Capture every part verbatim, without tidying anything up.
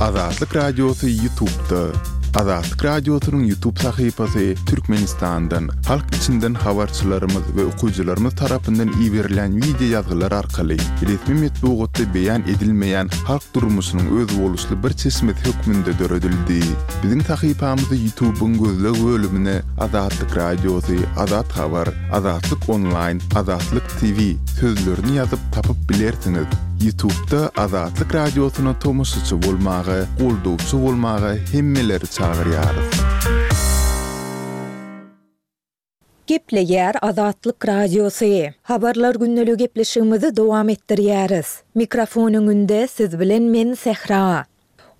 Azatlyk Radiosy YouTube'da. Azatlyk Radiosynyň YouTube sahypasy Türkmenistandan, halk içinden habarçylarymyz we okyjylarymyz tarapyndan iberilen wideo ýazgylar arkaly resmi metbugatda beýan edilmeýän halk durmuşynyň özboluşly bir çeşmesi hökmünde döredildi. Biziň sahypamyzy YouTube'yň gözleg bölümine Azatlyk Radiosy, Azat Habar, Azatlyk Online, Azatlyk T V sözlerini ýazyp tapyp bilersiňiz. YouTube'da Azatlyk Radiosyna tomaşaçy bolmaga, goldawçy bolmaga hemmeleri çagyrýarys. Gepleýär Azatlyk Radiosy. Habarlar gündeligi gepleşigimizi dowam etdirýäris. Mikrofon öňünde siz bilen men Sähra.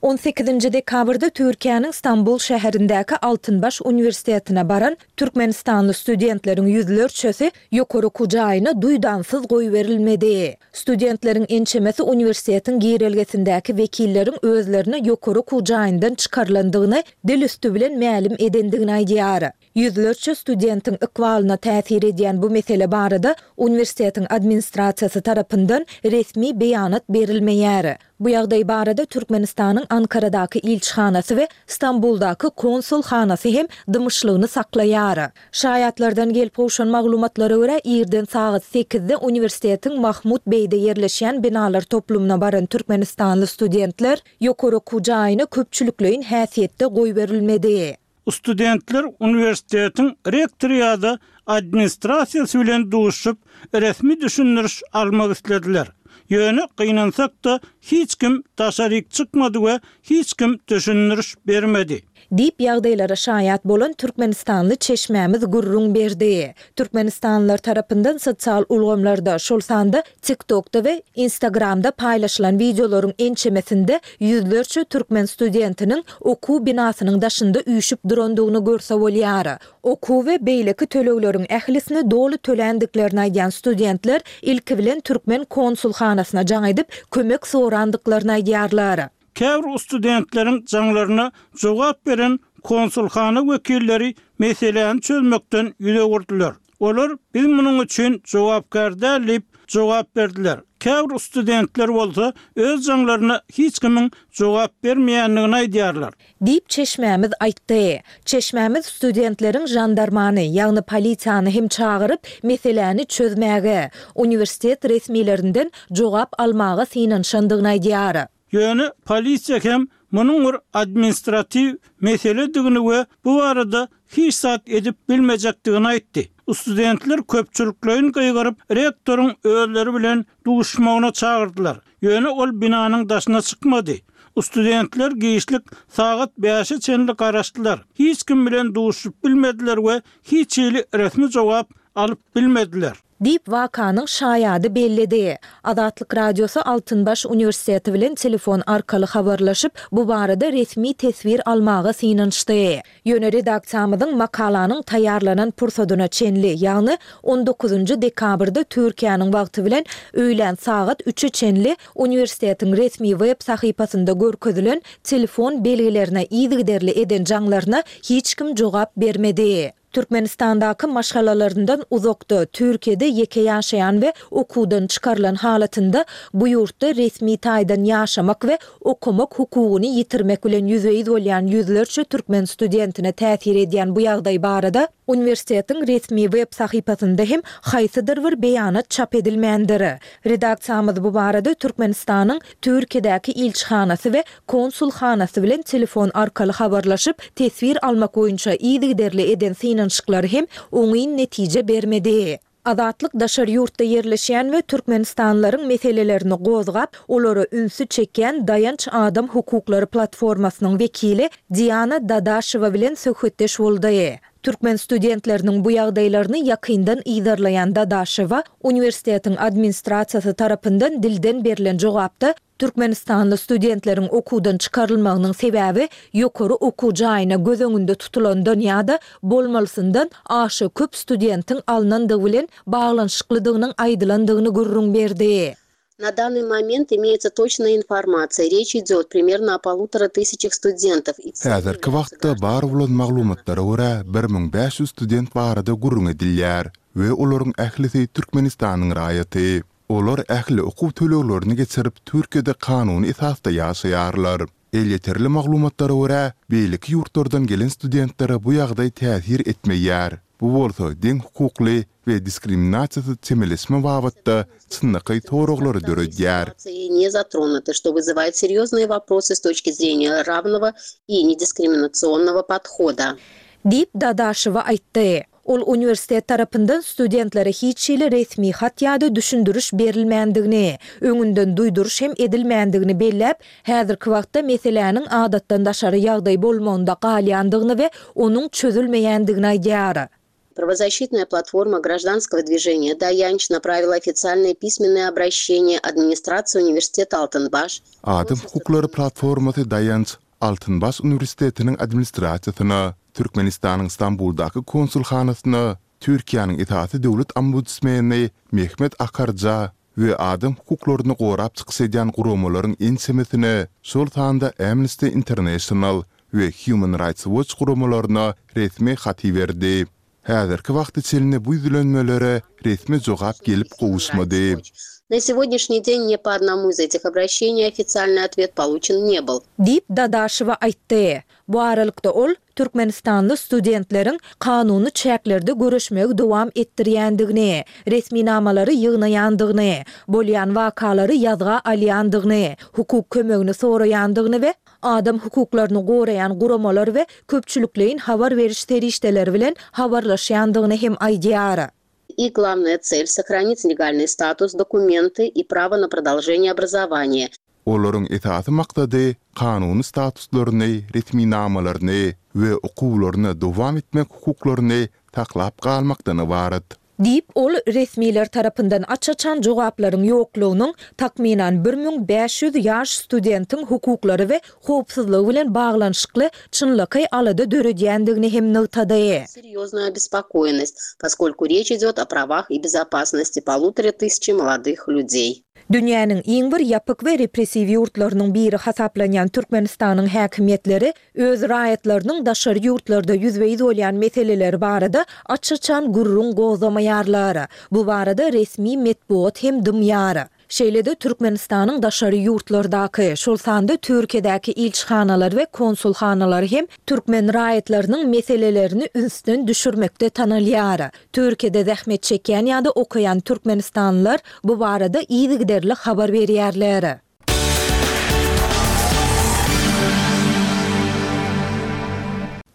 on sekizinji dekabrda Türkiýäniň Stambul şäherindäki Altynbaş uniwersitetine baran Türkmenistanly studentleriň ýüzlerçesi ýokary okuw jaýyna duýdansyz goýberilmedi. Studentleriň ençemesi uniwersitetiň girelgesindäki wekilleriň özlerine ýokary okuw jaýyndan çykarylandygyny dil üsti bilen mälim edendigini aýdýar. Ýüzlerçe studentiň ykbalyna täsir edýän bu mesele barada uniwersitetiň administrasiýasy tarapyndan resmi beýanat berilmeýär. Bu ýagdaý barada Türkmenistanyň Ankaradaky ilçihanasy we Stambuldaky konsulhanasy hem dymyşlygyny saklaýar. Şaýatlardan gelip gowşan maglumatlara görä, irden sagat sekizde uniwersitetiň Mahmut Beýde ýerleşýän binalar toplumyna baran türkmenistanly studentler ýokary okuw jaýyna köpçülikleýin häsiýetde goýberilmedi. Studentler uniwersitetiň rektory ýa-da administrasiýasy bilen duşup, resmi düşündiriş almak islediler. Ýöne gynansak-da hiç kim daşaryk çykmady we hiç kim düşündiriş bermedi. Diýip ýagdaýlara şaýat bolan Türkmenistanly çeşmämiz gürrüň berdi. Türkmenistanlylar tarapyndan sosial ulgamlarda, şol sanda TikTokda we Instagramda paýlaşylan wideolaryň ençemesinde ýüzlerçe türkmen studentiniň okuw binasynyň daşynda üýşüp durandygyny görse bolýar. Okuw we beýleki tölegleriň ählisini doly töländiklerini aýdýan studentler ilki bilen türkmen konsulhanasyna jaň edip kömek sorandyklaryny aýdýarlar. Käbir studentleriň jaňlaryna jogap beren konsulhana wekilleri meseläni çözmekden ýüz öwürdiler. Olar biz munuň üçin jogapkär däl diýip jogap berdiler. Käbir studentler bolsa öz jaňlaryna hiç kimiň jogap bermeýändigini aýdýarlar. Diýip çeşmämiz aýtdy. Çeşmämiz studentleriň jandarmany, ýagny polisiýany hem çagyryp, meseläni çözmäge, uniwersitet resmilerinden jogap almaga synanyşandygyny aýdýar. Ýöne polisiýa hem munuň bir administratiw meseledigini we bu barada hiç zat edip bilmejekdigini aýtdy. Studentler köpçülikleýin gygyryp, rektoryň özleri bilen duşmagyna çagyrdylar. Ýöne ol binanyň daşyna çykmady. Studentler giçlik sagat bäşe çenli garaşdylar. Hiç kim bilen duşup bilmediler we hiç hili resmi jogap alyp bilmediler. Diýip wakanyň şaýady belledi. Azatlyk Radiosy Altynbaş uniwersiteti bilen telefon arkaly habarlaşyp, bu barada resmi teswir almaga synanyşdy. Ýöne redaksiýamyzyň makalanyň taýýarlanan pursadyna çenli, ýagny on dokuzynjy dekabrda Türkiýäniň wagty bilen öýlän sagat üçe çenli uniwersitetiň resmi web sahypasynda görkezilen telefon belgilerine yzygiderli eden jaňlaryna hiç kim jogap bermedi. Türkmenistandaky maşgalalaryndan uzakda, Türkiýede ýeke ýaşaýan we okuwdan çykarylan halatynda bu ýurtda resmi taýdan ýaşamak we okamak hukugyny ýitirmek bilen ýüzbe-ýüz bolýan ýüzlerçe türkmen studentine täsir edýän bu ýagdaý barada uniwersitetiň resmi web sahypasynda hem haýsydyr bir beýanat çap edilmändir. Redaksiýamyz bu barada Türkmenistanyň Türkiýedäki ilçihanasy we konsulhanasy bilen telefon arkaly habarlaşyp, teswir almak boýunça yzygiderli eden synanyşyklary hem oňyn netije bermedi. Azatlyk daşary ýurtda ýerleşýän we Türkmenistanlylaryň meselelerini gozgap, olara ünsi çekýän Daýanç Adam Hukuklary platformasynyň wekili Diana Dadaşewa bilen söhbetdeş boldy. Türkmen studentleriniň bu ýagdaýlaryny ýakyndan yzarlaýan Dadaşewa uniwersitetiň administrasiýasy tarapyndan dilden berlen jogapda Türkmenistanly studentleriň okuwdan çykarylmagynyň sebäbi ýokary okuw jaýyna göz öňünde tutulandan ýa-da bolmalysyndan aşa köp studentiň alnandygy bilen baglanyşyklydygynyň aýdylandygyny gürrüň berdi. На данный момент имеется точная информация. Речь идет примерно о полутора тысячах студентов. Häzirki wagtda bar bolan maglumatlara görä bir müň bäş ýüz student barada gürrüň edilýär we olaryň ählisi Türkmenistanyň raýaty. Olar ähli okuw töleglerini geçirip, Türkiýede kanuny esasda ýaşaýarlar. Elýeterli maglumatlara görä, beýleki ýurtlardan gelen studentlere bu ýagdaý täsir etmeýär. Bu bolsa deň hukukly we diskriminasiýasyz çemeleşme babatda çynlakaý soraglary döredýär. Не затронуты, что вызывает серьезные вопросы с точки зрения равного и недискриминационного подхода. Diýip, Dadaşewa aýtdy. Ol uniwersitet tarapyndan studentlere hiç hili resmi hat ýa-da düşündiriş berilmändigini, öňünden duýduryş hem edilmändigini belläp, häzirki wagtda meseläniň adatdan daşary ýagdaý bolmagynda galýandygyny we onuň çözülmeýändigini aýdýar. Правозащитная платформа гражданского движения «Daýanç» направила официальное письменное обращение администрации университета «Алтынбаш». Adam hukuklary platformasy Daýanç Altynbaş uniwersitetiniň administrasiýasyna, Türkmenistanyň Stambuldaky konsulhanasyna, Türkiýäniň esasy döwlet ombudsmeni Mehmet Akarja we adam hukuklaryny gorap çykyş edýän guramalaryň ençemesine, şol sanda Amnesty International we Human Rights Watch guramalaryna resmi hat iberdi. Häzirki wagta çenli bu ýüzlenmelere resmi jogap gelip gowuşmady. На сегодняшний день ни по одному из этих обращений официальный ответ получен не был. Diýip, Dadaşewa aýtdy. Bu aralykda ol türkmenistanly studentleriň kanuny çäklerde göreşmegi dowam etdirýändigini, resminamalary ýygnaýandygyny, bolýan wakalary ýazga alýandygyny, hukuk kömegini soraýandygyny we adam hukuklaryny goraýan guramalar we köpçülikleýin habar beriş serişdeleri bilen habarlaşýandygyny hem aýdýar. Их главная цель – сохранить легальный статус, документы и право на продолжение образования. Olaryň esasy maksady kanuny statuslaryny, resminamalaryny we okuwlaryny dowam etmek hukuklaryny saklap galmakdan ybarat. Diýip, ol resmiler tarapyndan aç-açan jogaplaryň ýoklugynyň takmynan bir müň bäş ýüz ýaş studentiň hukuklary we howpsuzlygy bilen baglanyşykly çynlakaý alada döredýändigini hem nygtady. Серьезную обеспокоенность, поскольку речь идет о правах и безопасности полутора тысячи молодых людей. Dünýäniň iň bir ýapyk we repressiw ýurtlarynyň biri hasaplanýan Türkmenistanyň häkimiýetleri öz raýatlarynyň daşary ýurtlarda ýüzbe-ýüz bolýan meseleleri barada aç-açan gürrüň gozgamaýarlar. Bu barada resmi metbugat hem dymýar. Şeýle-de Türkmenistanyň daşary ýurtlardaky, şol sanda Türkiýedäki ilçihanalary we konsulhanalary hem türkmen raýatlarynyň meselelerini ünsden düşürmekde tanalýar. Türkiýede zähmet çekýän ýa-da okaýan türkmenistanlylar bu barada yzygiderli habar berýärler.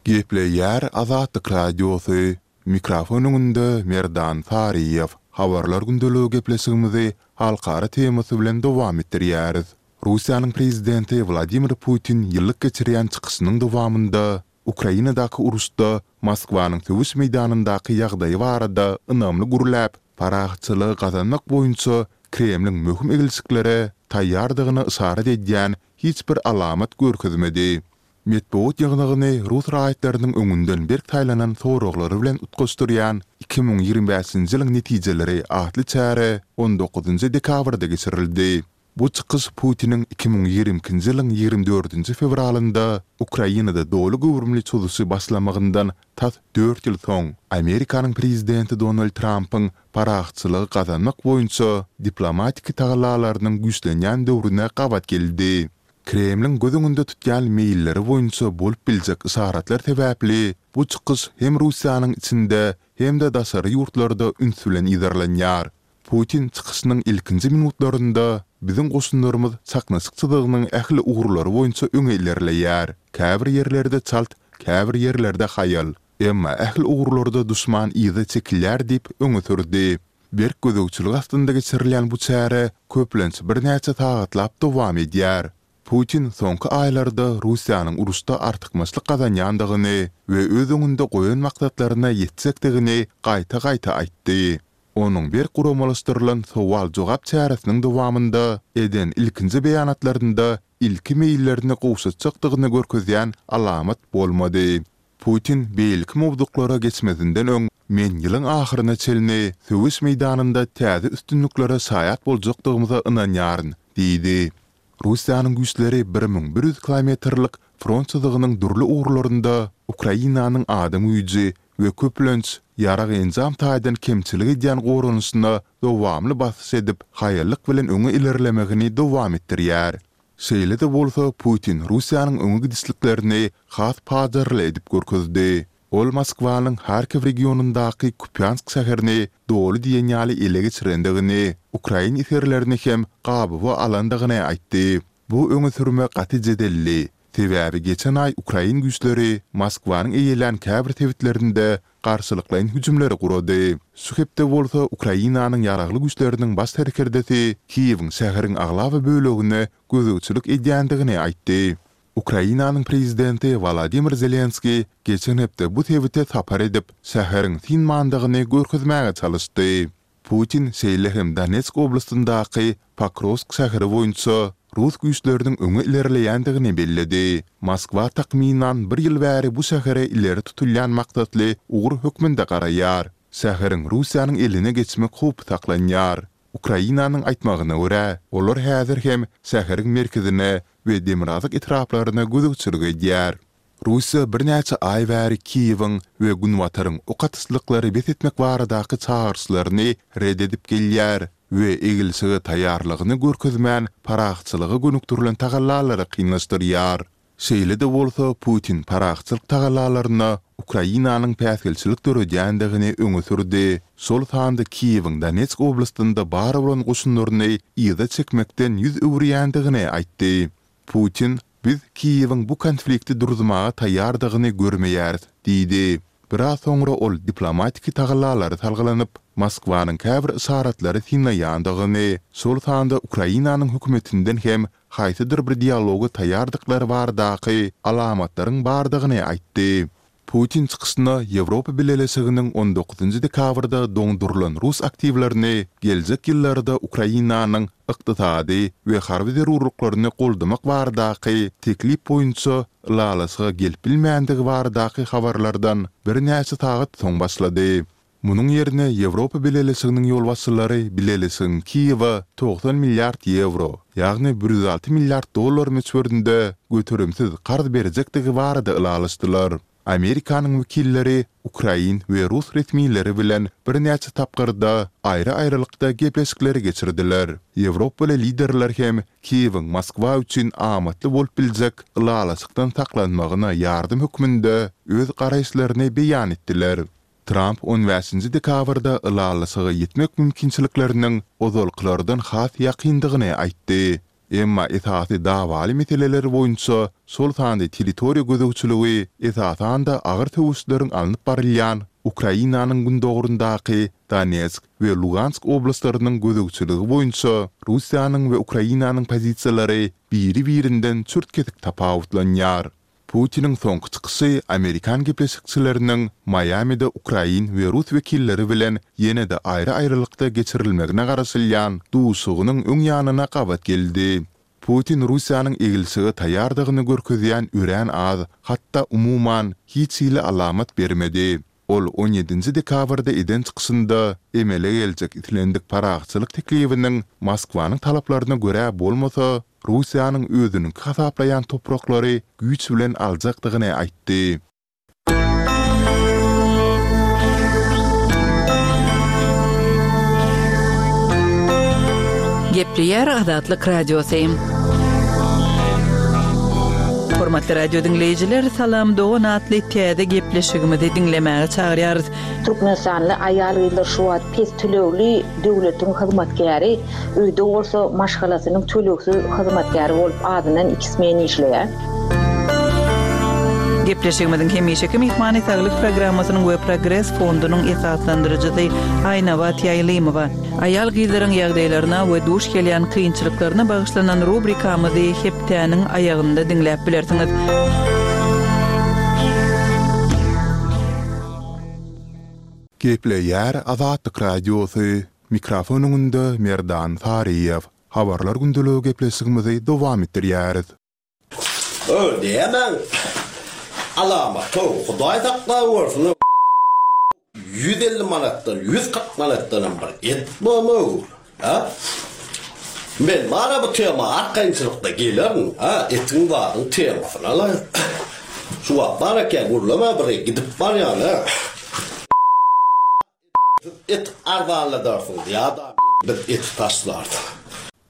Gepleýär Azatlyk Radiosy, mikrofon öňünde Merdan Saryýew. Habarlar gündeligi gepleşigimizi halkara temasy bilen dowam etdirýäris. Russiýanyň prezidenti Wladimir Putin ýyllyk geçirýän çykyşynyň dowamynda Ukrainadaky uruşda Moskwanyň söweş meýdanyndaky ýagdaýy barada ynamly gürläp, parahatçylygy gazanmak boýunça Kremliň möhüm eglişiklere taýýardygyna yşarat edýän hiç bir alamat görkezmedi. Metbugat ýygnagyny rus raýatlarynyň öňünden berk saýlanan soraglary bilen utgaşdyrýan iki müň ýigrimi bäşinji ýylyň netijeleri atly çäre on dokuzynjy dekabrda geçirildi. Bu çykyş Putiniň iki müň ýigrimi ikinji ýylyň ýigrimi dördünji fewralynda Ukrainada doly göwrümli çozuşy başlamagyndan tas dört ýyl soň Amerikanyň prezidenti Donald Trampyň parahatçylygy gazanmak boýunça diplomatiki tagallalarynyň güýçlenýän döwrüne gabat geldi. Kremliň göz öňünde tutýan meýilleri boýunça bolup biljek yşaratlar sebäpli bu çykyş hem Russiýanyň içinde hem-de daşary ýurtlarda üns bilen yzarlanýar. Putin çykyşynyň ilkinji minutlarynda biziň goşunlarymyz çaknyşyk çyzygynyň ähli ugurlary boýunça öňe ilerleýär. Käbir ýerlerde çalt, käbir ýerlerde haýal. Emma ähli ugurlarda duşman yza çekilýär diýip öňe sürdi. Berk gözegçilik astynda geçirilýän bu çäre köplenç birnäçe sagatlap dowam edýär. Putin soňky aýlarda Russiýanyň uruşda artykmaçlyk gazanýandygyny we öz öňünde goýan maksatlaryna ýetjekdigini gaýta-gaýta aýtdy. Onuň berk guramalaşdyrylan sowal-jogap çäresiniň dowamynda eden ilkinji beýanatlarynda ilki meýillerini gowşatjakdygyny görkezýän alamat bolmady. Putin beýleki mowzuklara geçmezinden öň men ýylyň ahyryna çenli söweş meýdanynda täze üstünliklere şaýat boljakdygymyza ynanýaryn diýdi. Russiýanyň güýçleri bir müň bir ýüz kilometrlik front çyzygynyň dürli ugurlarynda Ukrainanyň adam güýji we köplenç ýarag enjam taýdan kemçilik edýän goranyşyna dowamly basyş edip, haýallyk bilen öňe ilerlemegini dowam etdirýär. Şeýle-de bolsa, Putin Russiýanyň öňe gidişliklerini has pajarly edip görkezdi. Ol Moskwanyň Harkiw regionyndaky Kupýansk şäherini doly diýen ýaly ele geçirendigini, ukrain esgerlerini hem gabawa alandygyny aýtdy. Bu öňe sürme gaty jedelli, sebäbi geçen aý ukrain güýçleri Moskwanyň eýelän käbir sebitlerinde garşylyklaýyn hüjümleri gurady. Şu hepde bolsa Ukrainanyň Ýaragly Güýçleriniň baş serkerdesi Kiýewiň şäheriň aglaba bölegine gözegçilik edýändigini aýtdy. Ukrainanyň prezidenti Wolodymyr Zelenskiý geçen hepde bu sebite sapar edip, şäheriň synmandygyny görkezmäge çalyşdy. Putin şeýle hem Donetsk oblastyndaky Pokrowsk şäheri boýunça rus güýçleriniň öňe ilerleýändigini belledi. Moskwa takmynan bir ýyl bäri bu şähere ileri tutulýan maksatly ugur hökmünde garaýar. Şäheriň Russiýanyň eline geçmek howpy saklanýar. Ukrainanyň aýtmagyna görä, olar häzir hem şäheriň merkezine we demirgazyk etraplaryna gözegçilik edýär. Russiýa birnäçe aý bäri Kiýewiň we Günbataryň ok atyşlyklary bes etmek baradaky çagyryşlaryny ret edip gelýär we egilşige taýýarlygyny görkezmän parahatçylyga gönükdirilen tagallalary kynlaşdyrýar. Şeýle-de bolsa, Putin parahatçylyk tagallalaryna Ukrainanyň päsgelçilik döredýändigini öňe sürdi, şol sanda Kiýewiň Donetsk oblastynda bar bolan goşunlaryny yza çekmekden ýüz öwürýändigini aýtdy. Putin, Biz Kiýewiň bu konflikti duruzmaga taýýardygyny görmeýäris diýdi. Biraz soňra ol diplomatiki tagallalara salgylanyp, Moskwanyň käbir yşaratlary synlaýandygyny, şol sanda Ukrainanyň hökümetinden hem haýsydyr bir dialoga taýýardyklary baradaky alamatlaryň bardygyny aýtdy. Putin çykyşyna Ýewropa Bileleşiginiň on dokuzynjy dekabrda doňdurylan rus aktiwlerini geljek ýyllarda Ukrainanyň ykdysady we harby zerurlyklaryny goldamak baradaky teklip boýunça ylalaşyga gelip bilmändigi baradaky habarlardan birnäçe sagat soň başlady. Munuň ýerine Ýewropa Bileleşiginiň ýolbaşçylary bileleşigiň Kiýewe togsan milliard ýewro, ýagny bir ýüz alty milliard dollar möçberinde göterimsiz karz berjekdigi barada ylalaşdylar. Amerikanyň wekilleri ukrain we rus resmileri bilen birnäçe tapgyrda aýry-aýrylykda gepleşikleri geçirdiler. Ýewropaly liderler hem Kiýewiň Moskwa üçin amatly bolup biljek ylalaşykdan saklanmagyna ýardam hökmünde öz garaýyşlaryny beýan etdiler. Tramp on bäşinji dekabrda ylalaşyga ýetmek mümkinçilikleriniň ozalkylardan has ýakyndygyny aýtdy. Emma esasy dawaly meseleler boýunça, şol sanda territoriýa gözegçiligi, esasan-da agyr söweşleriň alnyp barylýan Ukrainanyň gündogaryndaky Donetsk we Lugansk oblastlarynyň gözegçiligi boýunça Russiýanyň we Ukrainanyň pozisiýalary biri-birinden çürt-kesik tapawutlanýar. Putiniň soňky çykyşy amerikan gepleşikçileriniň Maýamide ukrain we rus wekilleri bilen ýene-de aýry-aýrylykda geçirilmegine garaşylýan duşuşygynyň öň ýanyna gabat geldi. Putin Russiýanyň egilşige taýýardygyny görkezýän örän az, hatda umuman, hiç hili alamat bermedi. Ol on ýedinji dekabrda eden çykyşynda emele geljek islendik parahatçylyk teklibiniň Moskwanyň talaplaryna görä bolmasa, Russiýanyň özüniňki hasaplaýan topraklary güýç bilen aljakdygyny aýtdy. Gepleýär Azatlyk Radiosy. Hormatly radio diňleýjiler, Salam dogan atly täze gepleşigimizi diňlemäge çagyrýarys. Türkmenistanly aýal-gyzlar şu wagt pes tölegli döwletiň hyzmatkäri, öýde bolsa maşgalasynyň tölegsiz hyzmatkäri bolup azyndan iki smen işleýär. Gepleşigimiziň hemişeki myhmany Saglyk programmasynyň we Progres fondunyň esaslandyryjysy Aýnabat Ýaýlymowa. Aýal-gyzlaryň ýagdaýlaryna we duş gelýän kynçylyklaryna bagyşlanan rubrikamyzy hepdäniň aýagynda diňläp bilersiňiz. Gepleýär Azatlyk Radiosy, mikrofon öňünde Merdan Saryýew. Habarlar gündeligi gepleşigimizi dowam etdirýäris. Öý diýemen. Alamat-ow, Hudaý saklap görsün-ow. Ýüz elli manatdan, ýüz kyrk manatdanam bir et bormy-ow, a? Men bar-a bu tema arkaýynçylykda gelerin, a, etiň zadyň temasyna-la. Şu wagt bar eken, gürleme bir gidip barýan-a. Siz et arzanladarsyňyz ýa-da biz eti taşlarys.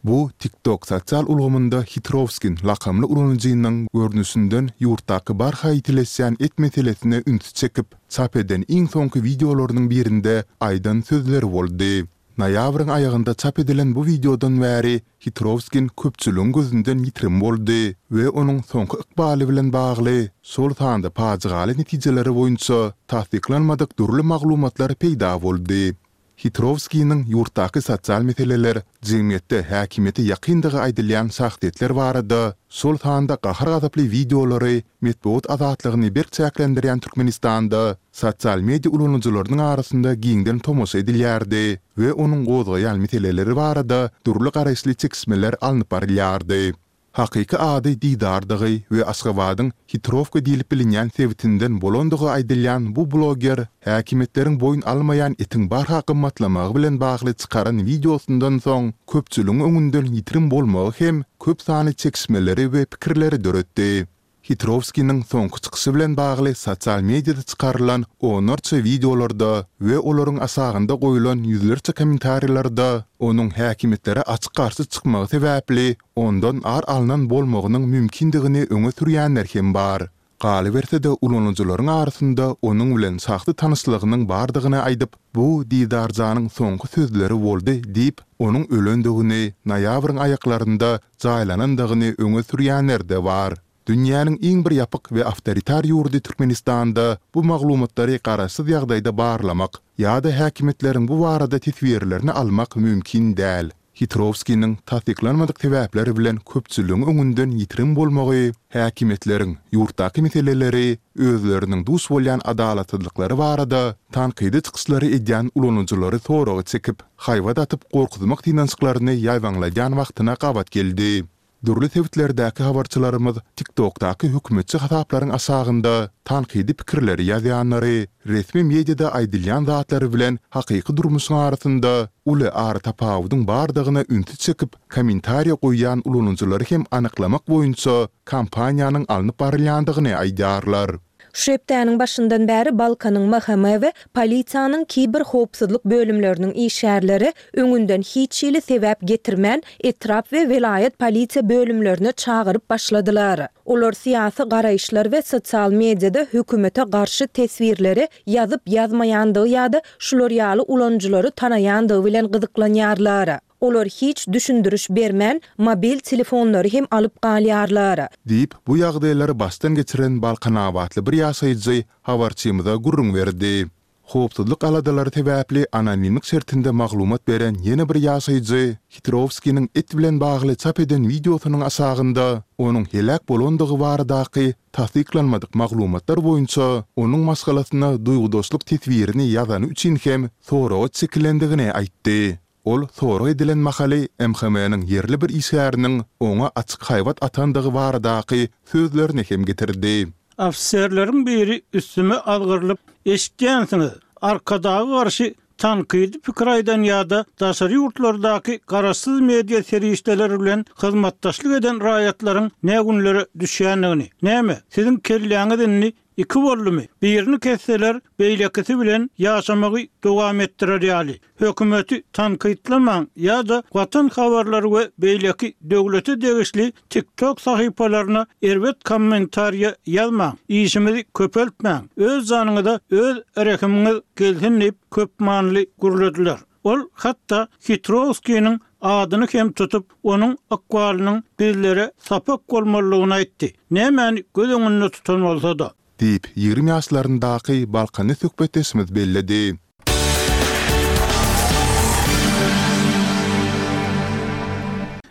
Bu TikTok sosial ulgamynda Hitrowskin lakamly ulanyjynyň görnüşinden ýurtdaky barha ýitileşýän et meselesine ünsi çekip, çap eden iň soňky wideolarynyň birinde aýdan sözleri boldy. Noýabryň aýagynda çap edilen bu wideodan bäri Hitrowskin köpçüligiň gözünden ýitirim boldy we onuň soňky ykbaly bilen bagly, şol sanda pajygaly netijeleri boýunça tassyklanmadyk dürli maglumatlar peýda boldy. Hitrowskiniň ýurtdaky sosial meseleler, jemgyýetde häkimiýete ýakyndygy aýdylýan şahsyýetler barada, şol sanda gahar-gazaply wideolary metbugat azatlygyny berk çäklendirýän Türkmenistanda sosial media ulanyjylarynyň arasynda giňden tomaşa edilýärdi we onuň gozgaýan meseleleri barada dürli garaýyşly çekişmeler alnyp barylýardy. Hakyky ady Didardygy we Aşgabadyň Hitrowka diýlip bilinýän sebitinden bolandygy aýdylýan bu bloger häkimiýetleriň boýun almaýan etiň barha gymmatlamagy bilen bagly çykaran wideosyndan soň köpçüligiň öňünden ýitirim bolmagy hem köp sanly çekişmeleri we pikirleri döretdi. Hitrowskiniň soňky çykyşy bilen bagly sosial mediada çykarylan onlarça wideolarda we olaryň aşagynda goýlan ýüzlerçe kommentariýalarda onuň häkimiýetlere açyk garşy çykmagy sebäpli ondan ar alnan bolmagynyň mümkindigini öňe sürýänler hem bar. Galyberse-de, ulanyjylaryň arasynda onuň bilen şahsy tanyşlygynyň bardygyny aýdyp, bu Didarjanyň soňky sözleri boldy diýip, onuň ölendigini, noýabryň aýaklarynda jaýlanandygyny öňe sürýänler-de bar. Dünýäniň iň bir ýapyk we awtoritar ýurdy Türkmenistanda bu maglumatlary garaşsyz ýagdaýda barlamak ýa-da häkimiýetleriň bu barada teswirlerini almak mümkin däl. Hitrowskiniň tassyklanmadyk sebäpler bilen köpçüligiň öňünden ýitirim bolmagy häkimiýetleriň ýurtdaky meseleleri, özleriniň duş bolýan adalatsyzlyklary barada tankydy çykyşlary edýän ulanyjylary soraga çekip, haýbat atyp gorkuzmak synanyşyklaryny ýaýbaňladýan wagtyna gabat geldi. Dürli sebitlerdäki habarçylarymyz TikTokdaky hökümetçi hasaplaryň aşagynda tankydy pikirleri ýazýanlary, resmi mediada aýdylýan zatlary bilen hakyky durmuşyň arasynda uly aratapawudyň bardygyna ünsi çekip, kommentariýa goýýan ulanyjylary hem anyklamak boýunça kampaniýanyň alnyp barylýandygyny aýdýarlar. Şu hepdäniň başyndan bäri Balkanyň M H M we polisiýanyň kiberhowpsuzlyk bölümleriniň işgärleri öňünden hiç hili sebäp getirmän, etrap we welaýat polisiýa bölümlerine çagyryp başladylar. Olar syýasy garaýyşlar we sosial mediada hökümete garşy teswirleri ýazyp-ýazmaýandygy ýa-da şular ýaly ulanyjylary tanaýandygy bilen gyzyklanýarlar. Olar hiç düşündiriş bermän, mobil telefonlary hem alyp galýarlar. Diýip, bu ýagdaýlary başdan geçiren balkanabatly bir ýaşaýjy habarçymyza gürrüň berdi. Howpsuzlyk aladalary sebäpli anonimlik şertinde maglumat beren ýene bir ýaşaýjy Hitrowskiniň et bilen bagly çap eden wideosynyň aşagynda onuň heläk bolandygy baradaky tassyklanmadyk maglumatlar boýunça onuň maşgalasyna duýgudaşlyk teswirini ýazany üçin hem soraga çekilendigini aýtdy. Ol sorag edilen mahaly M H M-niň ýerli bir işgäriniň oňa açyk haýbat atandygy baradaky sözlerini hem getirdi. Ofiserleriň biri üstüme azgyrylyp, "Eşitýänsiňiz, Arkadaga garşy tankydy pikir aýdan ýa-da daşary ýurtlardaky garaşsyz media serişdeleri bilen hyzmatdaşlyk eden raýatlaryň nä günlere düşýändigini. Näme, siziň kelläňiz indi iki boldumy? Birini kesseler, beýlekisi bilen ýaşamagy dowam etdirer ýaly. Hökümeti tankytlamaň ýa-da Watan habarlary we beýleki döwlete degişli TikTok sahypalaryna erbet kommentariýa ýazmaň. Işimizi köpeltmäň. Öz janyňyza öz rehimiňiz gelsin diýip köpmanyly gürlediler. Ol hatda Hitrowskiniň adyny hem tutup, onuň ykbalynyň bizlere sapak bolmalydygyny aýtdy. Nämäni göz öňünde tutan bolsa-da. Diýip, ýigrimi ýaşlaryndaky balkanly söhbetdeşimiz belledi.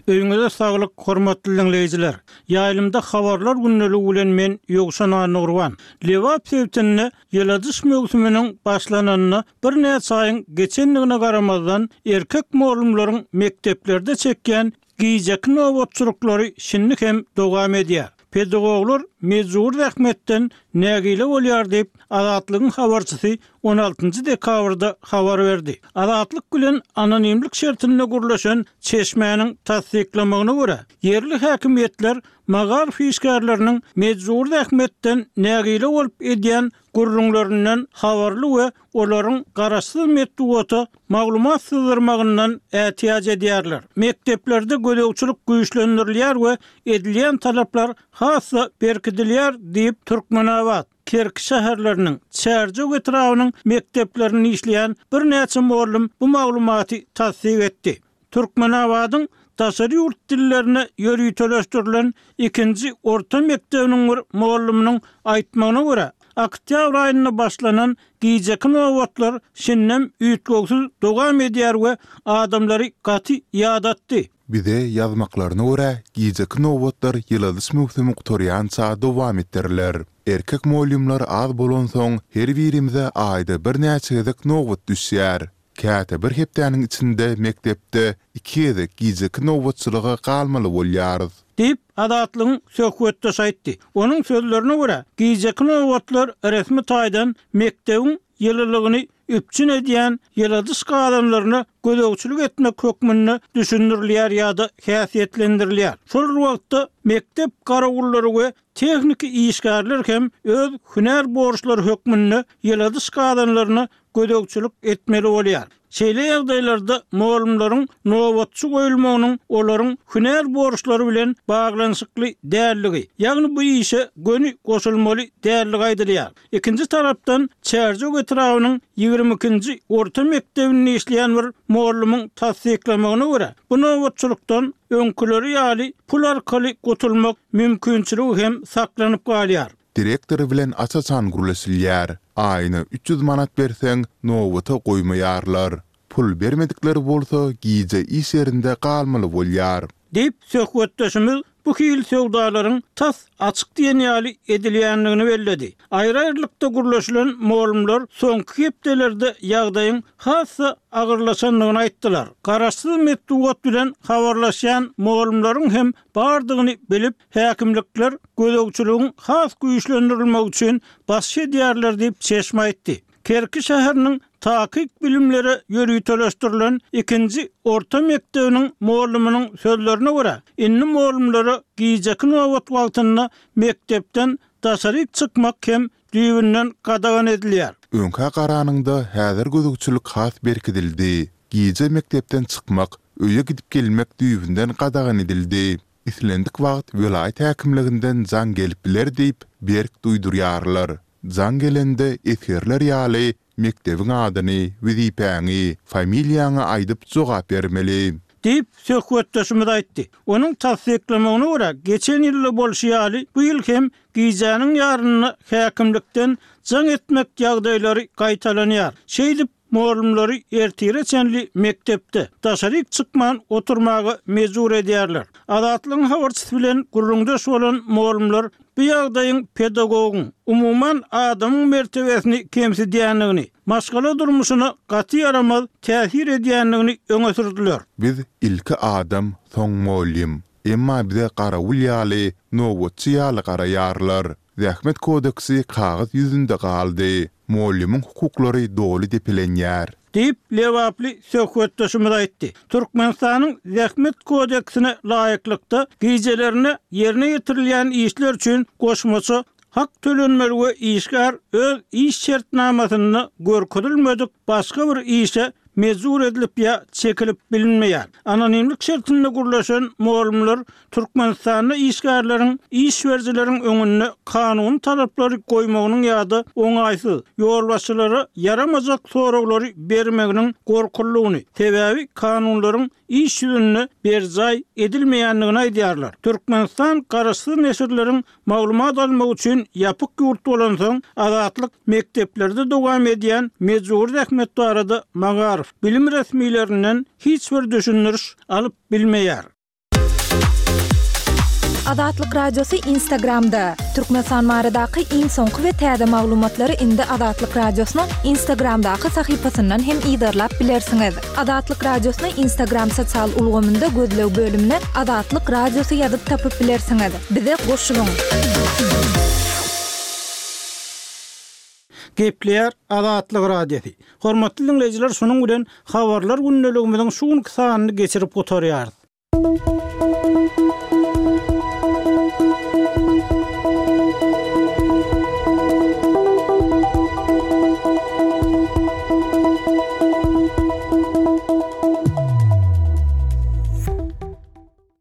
Öýüňize saglyk, hormatly diňleýjiler! Ýaýlymda Habarlar gündeligi bilen men Ýowşan Annagurban. Lebap sebitinde ýyladyş möwsüminiň başlananyna birnäçe aýyň geçendigine garamazdan, erkek mugallymlaryň mekdeplerde çekýän gijeki nobatçylyklary şindi hem dowam edýär. Pedagoglar mejbury zähmetden nägile bolýar diýip, Azatlygyň habarçysy on altynjy dekabrda habar berdi. Azatlyk bilen anonimlik şertinde gürleşen çeşmäniň tassyklamagyna görä, ýerli häkimiýetler magaryf işgärleriniň mejbury zähmetden nägile bolup edýän gürrüňlerinden habarly we olaryň garaşsyz metbugata maglumat syzdyrmagyndan ätiýaç edýärler. Mekdeplerde gözegçilik güýçlendirilýär we edilýän talaplar has-da berkidilýär diýip, Türkmenabat, Kerki şäherleriniň, Çärjew etrabynyň mekdeplerinde işleýän birnäçe mugallym bu maglumaty tassyk etdi. Türkmenabadyň daşary ýurt dillerine ýöriteleşdirilen ikinji orta mekdebiniň bir mugallymynyň aýtmagyna görä, oktýabr aýynda başlanan gijeki nobatlar şindem üýtgewsiz dowam edýär we adamlary gaty ýadatdy. Bize ýazmaklaryna görä, gijeki nobatlar ýyladyş möwsümi gutarýança dowam etdiriler. Erkek mugallymlar az bolansoň, her birimize aýda birnäçe gezek nobat düşýär. Käte bir hepdäniň içinde mekdepde iki gezek gijeki nobatçylyga galmaly bolýarys. Diýip, Azatlygyň söhbetdeşi aýtdy. Onuň sözlerine görä, gijeki nobatlar resmi taýdan mekdebiň ýylylygyny üpjün edýän ýyladyş gazanlaryna gözegçilik etmek hökmünde düşündirilýär ýa-da häsiýetlendirilýär. Şol bir wagtda, mekdep garawullary we tehniki işgärler hem öz hünär borçlary hökmünde ýyladyş gazanlaryna gözegçilik etmeli bolýar. Şeýle ýagdaýlarda mugallymlaryň nobatçy goýulmagynyň olaryň hünär borçlary bilen baglanyşykly däldigi, ýagny bu işe göni goşulmaly däldigi aýdylýar. Ikinji tarapdan, Çärjew etrabynyň ýigrimi ikinji orta mekdebinde işleýän bir mugallymyň tassyklamagyna görä, bu nobatçylykdan öňküleri ýaly pul arkaly gutulmak mümkinçiligi hem saklanyp galýar. Direktor bilen aç-açan gürleşilýär. Aýyna üç ýüz manat berseň, nobata goýmaýarlar. Pul bermedikleri bolsa gije iş ýerinde galmaly bolýar. Diýip, söhbetdeşimiz bu hili söwdalaryň tas açyk diýen ýaly edilýändigini belledi. Aýry-aýrylykda gürleşilen mugallymlar soňky hepdelerde ýagdaýyň has-da agyrlaşandygyny aýtdylar. Garaşsyz metbugat bilen habarlaşýan mugallymlaryň hem bardygyny bilip, häkimlikler gözegçiligiň has güýçlendirilmegi üçin basyş edýärler diýip, çeşme aýtdy. Kerki şäheriniň takyk bilimlere ýöriteleşdirilen ikinji orta mekdebiniň mugallymynyň sözlerine görä, indi mugallymlara gijeki nobat wagtynda mekdepden daşaryk çykmak hem düýbünden gadagan edilýär. Öňkä garanyňda häzir gözegçilik has berkidildi. Gije mekdepden çykmak, öýe gidip gelmek düýbünden gadagan edildi. Islendik wagt welaýat häkimliginden jaň gelip biler diýip, berk duýdurýarlar. Jaň gelende esgerler ýaly mekdebiň adyny, wezipäňi, familiýaňy aýdyp jogap bermeli. Diýip, söhbetdeşimiz aýtdy. Onuň tassyklamagyna görä, geçen ýylda bolşy ýaly, bu ýyl hem gijäniň ýarynda häkimlikden jaň etmek ýagdaýlary gaýtalanýar. Şeýdip, mugallymlary ertire çenli mekdepde, daşaryk çykman oturmaga mejbur edýärler. Azatlygyň habarçysy bilen gürrüňdeş bolan mugallymlar bu ýagdaýyň pedagogyň, umuman, adamyň mertebesini kemsidýändigini, maşgala durmuşyna gaty ýaramaz täsir edýändigini öňe sürdüler. Biz ilki adam, soň mugallym. Emma bize garawul ýaly, nobatçy ýaly garaýarlar. Zähmet kodeksi kagyz ýüzünde galdy. Mugallymyň hukuklary doly depelenýär. Diýip, lebaply söhbetdeşimiz aýtdy. Türkmenistanyň Zähmet kodeksine laýyklykda, gijelerine ýerine ýetirilýän işler üçin goşmaça hak tölenmeli we işgär öz iş şertnamasynda görkezilmedik başga bir işe mejbur edilip ýa çekilip bilinmeýär. Anonimlik şertinde gürleşen mugallymlar Türkmenistanda işgärleriň iş berijileriň öňünde kanuny talaplary goýmagynyň ýa-da oňaýsyz, ýolbaşçylara ýaramajak soraglary bermeginiň gorkulygyny, sebäbi kanunlaryň iş ýüzünde berjaý edilmeýändigini aýdýarlar. Türkmenistan garaşsyz neşirleriň maglumat almak üçin ýapyk ýurt bolansoň, Azatlyk mekdeplerde dowam edýän mejbury zähmet barada magaryf, bilim resmilerinden hiç bir düşündiriş alyp bilmeýär. Azatlyk Radiosy Instagramda, Türkmenistan baradaky iň soňky we täze maglumatlary indi Azatlyk Radiosynyň Instagramdaky sahypasyndan hem yzarlap bilersiňiz. Azatlyk Radiosyny Instagram sosial ulgamynda gözleg bölümine Azatlyk Radiosy ýazyp tapyp bilersiňiz. Bize goşulyň! Gepleýär Azatlyk Radiosy. Hormatly diňleýjiler, şunuň bilen habarlar gündeligimiziň şu günki sanyny geçirip gutarýarys.